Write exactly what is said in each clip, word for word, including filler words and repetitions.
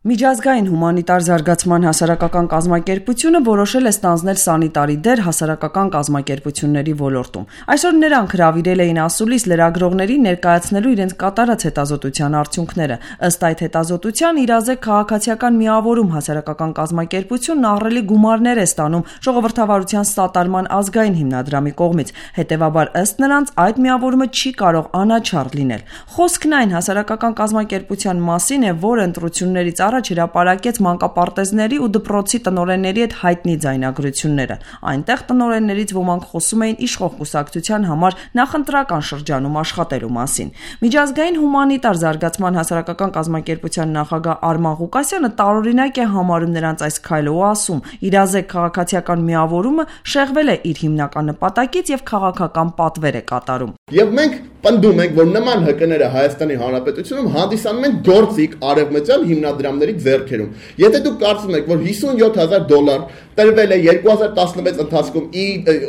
Միջազգային հումանիտար զարգացման հասարակական կազմակերպությունը որոշել է ստանձնել սանիտարի դեր հասարակական կազմակերպությունների ոլորտում։ Այսօր նրանք հրավիրել էին ասուլիս լրագրողներին ներկայացնելու իրենց կատարած հետազոտության արդյունքները։ Ըստ այդ հետազոտության իրազեկ քաղաքացիական միավորում հասարակական կազմակերպությունն ահռելի գումարներ է ստանում ժողովրդավարության սատարման ազգային հիմնադրամի կողմից։ Հետևաբար ըստ նրանց այդ միավորումը չի կարող անաչառ լինել։ Խոսքն այն հասարակական կազմակերպության մասին է, որը ընտրություններից առաջ հրապարակեց մանկապարտեզների ու դպրոցի տնօրենների հետ հայտնի ձայնագրությունները։ Այնտեղ տնօրեններից ոմանք խոսում էին իշխող կուսակցության համար նախընտրական շրջանում աշխատելու մասին։ Միջազգային հումանիտար զարգացման հասարակական կազմակերպության նախագահ Արման Ղուկասյանը տարօրինակ է համարում նրանց այս քայլը ու ասում՝ իրազեկ քաղաքացիական միավորումը շեղվել է իր հիմնական նպատակից եւ քաղաքական պատվեր է կատարում։ Եվ մենք պնդում ենք, որ նման ՀԿ-ները Հայաստանի Հանրապետությունում հանդիսանում են գործիք արևմտյան հիմնադրամների ձեռքերում։ Եթե դուք կարծում եք, որ հիսունյոթ հազար դոլար տրվել է երկու հազար տասնվեց ընթացքում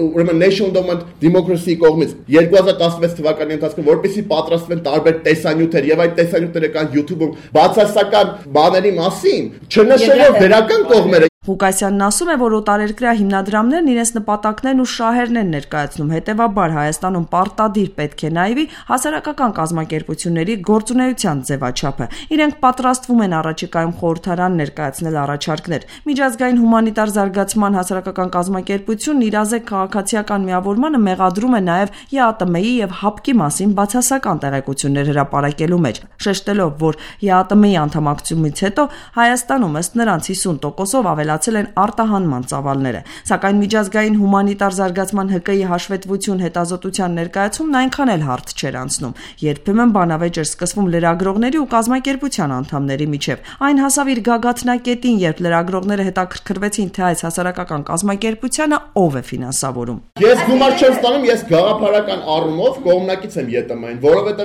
ուրեմն National Endowment Democracy կողմից երկու հազար տասնվեց թվականի ընթացքում, որպեսզի պատրաստվեն տարբեր տեսանյութեր եւ այդ տեսանյութերը կան YouTube-ում բացասական բաների մասին, չնշելով դրական կողմերը։ Ղուկասյանն ասում է, որ օտարերկրյա հիմնադրամներն իրենց նպատակներն ու շահերն են ներկայացնում, հետևաբար Հայաստանում պարտադիր պետք է նայվի հասարակական կազմակերպությունների գործունեության ձևաչափը։ Իրենք պատրաստվում են առաջիկայում խորհրդարան ներկայացնել առաջարկներ։ Միջազգային հումանիտար զարգացման հասարակական կազմակերպությունն իրազեկ քաղաքացիական միավորմանը մեղադրում է նաև ԵԱՏՄ-ի եւ ՀԱՊԿ-ի մասին բացասական տեղեկություններ հրապարակելու մեջ, շեշտելով, որ ԵԱՏՄ-ի անդամակցությունից հետո Հայաստանում ըստ նրանց հիսուն տոկոսով ավելացել են արտահանման ծավալները։ Սակայն միջազգային հումանիտար զարգացման ՀԿ-ի հաշվետվություն հետազոտության ներկայացումն այնքան էլ հարթ չէր անցնում։ Երբեմն բանավեճ էր սկսվում լրագրողների ու կազմակերպության անդամների միջև։ Այն հասավ իր գագաթնակետին, երբ լրագրողները հետաքրքրվեցին, թե այս հասարակական կազմակերպությանը ով է ֆինանսավորում։ Ես գումար չեմ ստանում, ես գաղափարական առումով կողմնակից եմ ԵՏՄ-ին, որովհետև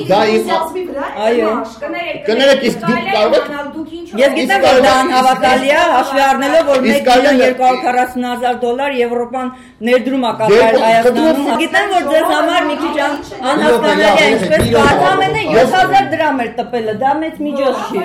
դա իմ այո կներեք, իսկ դուք կարող եք Ես գիտեմ, որ դա անհավատալի է, հաշվի առնելով, որ մեկ միլիոն երկու հարյուր քառասուն հազար դոլար Եվրոպան ներդրում է կատարել Հայաստանում։ Գիտեմ, որ ձեզ համար մի քիչ անհասկանալի է, ինչպես Վարդամենը յոթ հազար դրամ էր տպելը, դա մեծ միջոց չի։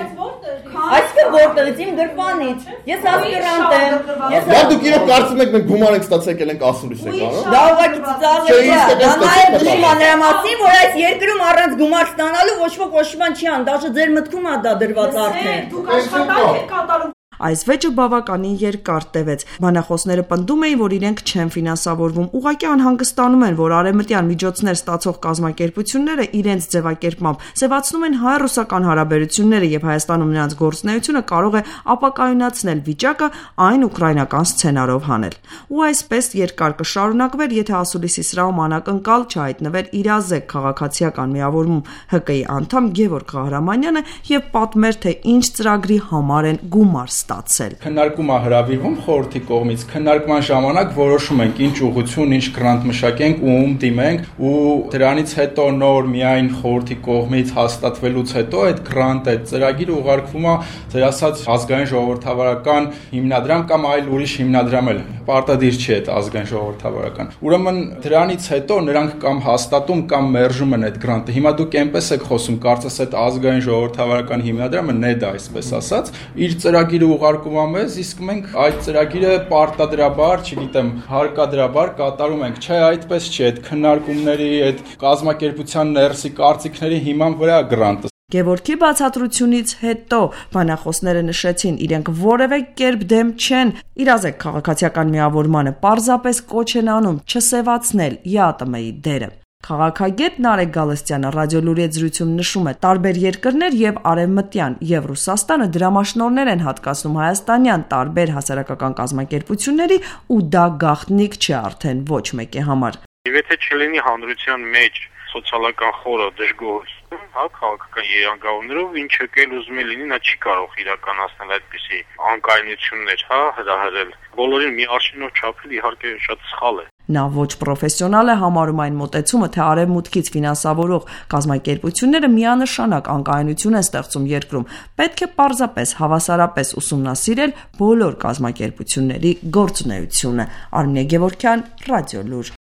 Այսինքն որտեղից իմ գրպանից։ Ես ասպիրանտ եմ։ Ես Դա դուք իրոք կարծում եք մենք գումար ենք ստացել եկել ենք ասուլիս եք, հա՞։ Դա ուղղակի ծիծաղելի է։ Դա նաև դժում է նրա մասին, որ այս երկրում առանց գումար ստանալու ոչ ոք ոչ մի բան չի անում, դաժե ձեր մտքում է դա դրված արդեն։ Դուք աշխատանք եք կատարում։ Այս վեճը բավականին երկար տևեց։ Բանախոսները պնդում էին, որ իրենք չեն ֆինանսավորվում, ուղղակի անհանգստանում են, որ արևմտյան միջոցներ ստացող կազմակերպությունները իրենց ձևակերպմամբ սևացնում են հայ-ռուսական հարաբերությունները եւ Հայաստանում նրանց գործունեությունը կարող է ապակայունացնել վիճակը այն ուկրաինական սցենարով հանել։ Ու այսպես երկար կշարունակվեր, եթե ասուլիսի սրահում անակնկալ չհայտնվեր իրազեկ քաղաքացիական միավորում ՀԿ-ի անդամ Գևորգ Ղահրամանյանը եւ պատմեր, թե ինչ ծրագրի համար են գումար ստացել։ Քննարկումը հրավիրվում խորհրդի կողմից, քննարկման ժամանակ որոշում ենք ինչ ուղղություն, ինչ գրանտ մշակենք ու ում դիմենք, ու դրանից հետո նոր միայն խորհրդի կողմից հաստատվելուց հետո այդ գրանտը, այդ ծրագիրը ուղարկվում է ձեր ասած ազգային ժողովրդավարական հիմնադրամ կամ այլ ուրիշ հիմնադրամ էլ, պարտադիր չի այդ ազգային ժողովրդավարական։ Ուրեմն դրանից հետո նրանք կամ հաստատում կամ մերժում են այդ գրանտը։ Հիմա դուք այնպես եք խոսում, կարծես այդ ազգային ժողովրդավարական հիմնադրամը նեդ այսպես ասած, իր ծրագիրը ուղարկում է մեզ, իսկ մենք այդ ծրագիրը պարտադրաբար, չգիտեմ, հարկադրաբար կատարում ենք, չէ, այդպես չի, այդ քննարկումների, այդ կազմակերպության ներսի կարծիքների հիման վրա գրանտը։ Գևորգի բացատրությունից հետո բանախոսները նշեցին, իրենք որևէ կերպ դեմ չեն իրազեկ քաղաքացիական միավորմանը, պարզապես կոչ են անում չսևացնել ԵԱՏՄ-ի դերը։ Քաղաքագետ Նարեկ Գալստյանը ռադիոլուրի հետ զրույցում նշում է, տարբեր երկրներ եւ Արևմտյան եւ Ռուսաստանը դրամաշնորհներ են հատկացնում հայաստանյան տարբեր հասարակական կազմակերպությունների ու դա գաղտնիք չէ արդեն ոչ մեկի համար։ Եվ եթե չլինի հանրության մեջ սոցիալական խորը դժգոհություն, հա, քաղաքական երանգավորներով ինչ եկել ուզում է լինի, նա չի կարող իրականացնել այդպիսի անկայունություններ, հա, հրահրել։ Բոլորին մի արշինով չափել իհարկե շատ սխալ է։ Նա ոչ պրոֆեսիոնալ է համարում այն մոտեցումը, թե արևմուտքից ֆինանսավորող կազմակերպությունները միանշանակ անկայունություն են ստեղծում երկրում։ Պետք է պարզապես հավասարապես ուսումնասիրել բոլոր կազմակերպությունների գործունեությունը։ Արմինե Գևորգյան, Ռադիոլուր։